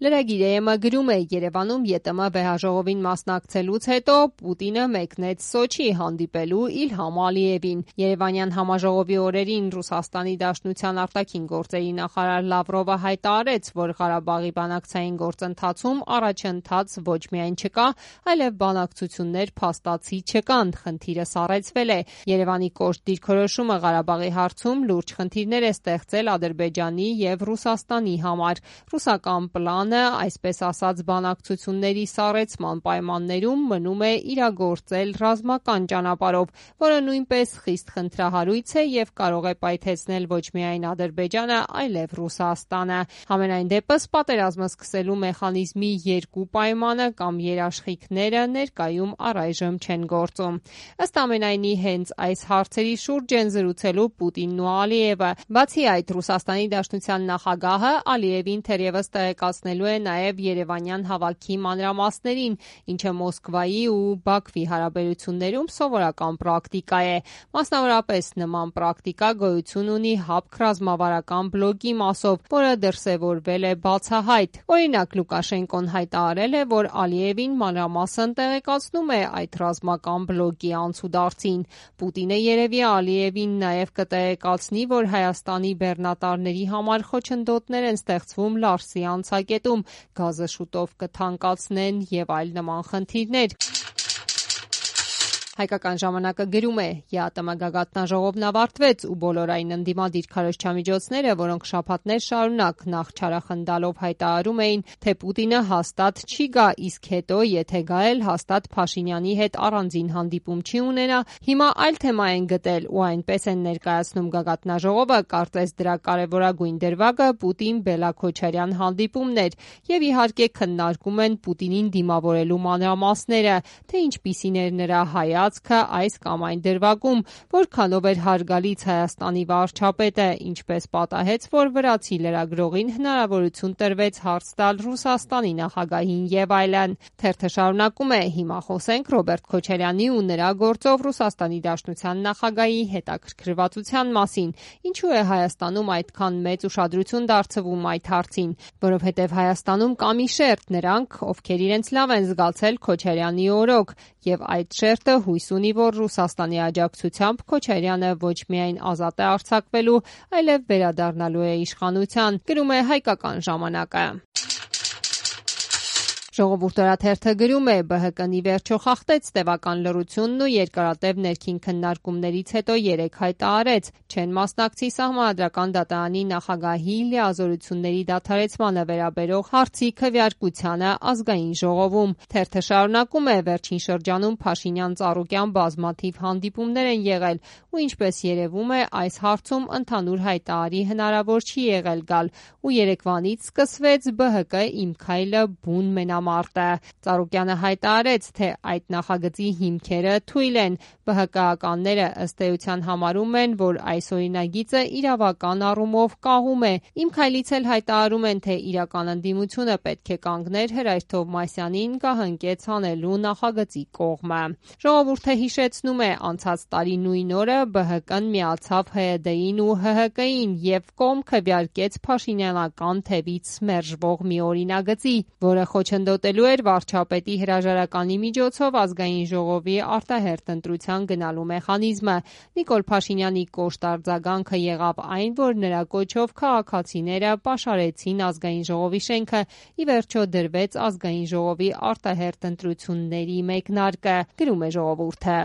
Լրագիրը գրում է. Երևանում ԵՏՄ վեհաժողովին մասնակցելուց հետո Պուտինը մեկնեց Սոչի հանդիպելու Իլհամ Ալիևին։ Երևանյան համաժողովի օրերին Ռուսաստանի Դաշնության արտաքին գործերի նախարար Լավրովը հայտարարեց, որ Ղարաբաղի բանակցային գործընթացում առաջընթաց ոչ միայն չկա, այլև բանակցություններ փաստացի չկան, խնդիրը սառեցվել է։ Երևանի կոշտ դիրքորոշումը Ղարաբաղի հարցում լուրջ խնդիրներ է ստեղծել Ադրբեջանի եւ Ռուսաստանի համար։ Ռուսական պլանը, այսպես ասած, բանակցությունների սառեցման պայմաններում մնում է իրագործել ռազմական ճանապարհով, որը նույնպես խիստ խնդրահարույց է եւ կարող է պայթեցնել ոչ միայն Ադրբեջանը, այլև Ռուսաստանը։ Համենայն դեպս, պատերազմը սկսելու մեխանիզմի երկու պայմանը կամ երաշխիքները ներկայում առայժմ չեն գործում։ Ըստ ամենայնի, հենց այս հարցերի շուրջ են զրուցելու Պուտինն ու Ալիևը։ Բացի այդ, Ռուսաստանի Դաշնության նախագահը Ալիևին թերևս տեղեկացնելու է նաև երևանյան հավաքի մանրամասներին, ինչը Մոսկվայի ու Բաքվի հարաբերություններում սովորական պրակտիկա է։ Մասնավորապես, նման պրակտիկա գոյություն ունի ՀԱՊԿ ռազմավարական բլոկի մասով, որը դրսևորվել է բացահայտ։ Օրինակ, Լուկաշենկոն հայտարարել է, որ Ալիևին մանրամասն տեղեկացնում է այդ ռազմական բլոկի անցուդարձին։ Պուտինը երևի Ալիևին նաև կտեղեկացնի, որ Հայաստանի բեռնատարների համար խոչընդոտներ են ստեղծվում Լարսի անցակետում, գազը շուտով կթանկացնեն եւ այլ նման խնդիրներ։ Հայկական ժամանակը գրում է. ԵԱՏՄ գագաթնաժողովն ավարտվեց ու բոլորային ընդդիմադիր քարոզչամիջոցները, որոնք շաբաթներ շարունակ նախ չարախնդալով հայտարարում էին, թե Պուտինը հաստատ չի գա, իսկ հետո, եթե գա էլ, հաստատ Փաշինյանի հետ առանձին հանդիպում չի ունենա, հիմա այլ թեմա են գտել ու այնպես են ներկայացնում գագաթնաժողովը, կարծես դրա կարևորագույն դրվագը Պուտին-Բելա-Քոչարյան հանդիպումն էր եւ իհարկե քննարկում են Պուտինին դիմավորելու մանրամասները, թե ինչպիսին էր նրա այս կամ այն դրվագում, որքանով էր հարգալից Հայաստանի վարչապետը, ինչպես պատահեց, որ վրացի լրագրողին հնարավորություն տրվեց հարց տալ Ռուսաստանի նախագահին եւ այլն։ Թերթը շարունակում է. հիմա խոսենք Ռոբերտ Քոչարյանի ու նրա գործով Ռուսաստանի Դաշնության նախագահի հետաքրքրվածության մասին։ Ինչու է Հայաստանում այդքան մեծ ուշադրություն դարձվում այդ հարցին, որովհետեւ Հայաստանում կա մի շերտ, նրանք, ովքեր իրենց լավ են զգացել Քոչարյանի օրոք, եւ այդ շերտը հույս ունի, որ Ռուսաստանի աջակցությամբ Քոչարյանը ոչ միայն ազատ է արձակվելու, այլև վերադառնալու է իշխանության, գրում է Հայկական ժամանակը։ Ժողովուրդ օրաթերթը գրում է. ԲՀԿ-ն ի վերջո խախտեց տևական լռությունն ու երկարատև ներքին քննարկումներից հետո երեկ հայտարարեց, չեն մասնակցի Սահմանադրական դատարանի նախագահի լիազորությունների դադարեցմանը վերաբերող հարցի քվեարկությանը Ազգային ժողովում։ Թերթը շարունակում է. վերջին շրջանում Փաշինյան-Ծառուկյան բազմաթիվ հանդիպումներ են եղել ու ինչպես երևում է, այս հարցում ընդհանուր հայտարարի հնարավոր չի եղել գալ ու երեկվանից սկսվեց ԲՀԿ «Իմ քայլը» բուն մենամարտը։ Ծառուկյանը հայտարարեց, թե այդ նախագծի հիմքերը թույլ են։ ԲՀԿ-ականները ըստ էության համարում են, որ այս օրինագիծը իրավական առումով կաղում է։ «Իմ քայլից» էլ հայտարարում են, թե իրական ընդդիմությունը պետք է կանգներ Հրայր-Թովմասյանին գահընկեց անելու նախագծի կողմը։ Ժողովուրդը հիշեցնում է, անցած տարի նույն օրը ԲՀԿ-ն միացավ ՀՅԴ-ին ու ՀՀԿ-ին եւ կողմ քվեարկեց փաշինյանական թևից մերժվող մի օրինագծի, որը խոչընդոտելու էր վարչապետի հրաժարականի միջոցով Ազգային ժողովի արտահերթ ընտրության գնալու մեխանիզմը։ Նիկոլ Փաշինյանի կոշտ արձագանքը եղավ այն, որ նրա կոչով քաղաքացիները պաշարեցին Ազգային ժողովի շենքը, ի վերջո դրվեց Ազգային ժողովի արտահերթ ընտրությունների մեկնարկը, գրում է Ժողովուրդը։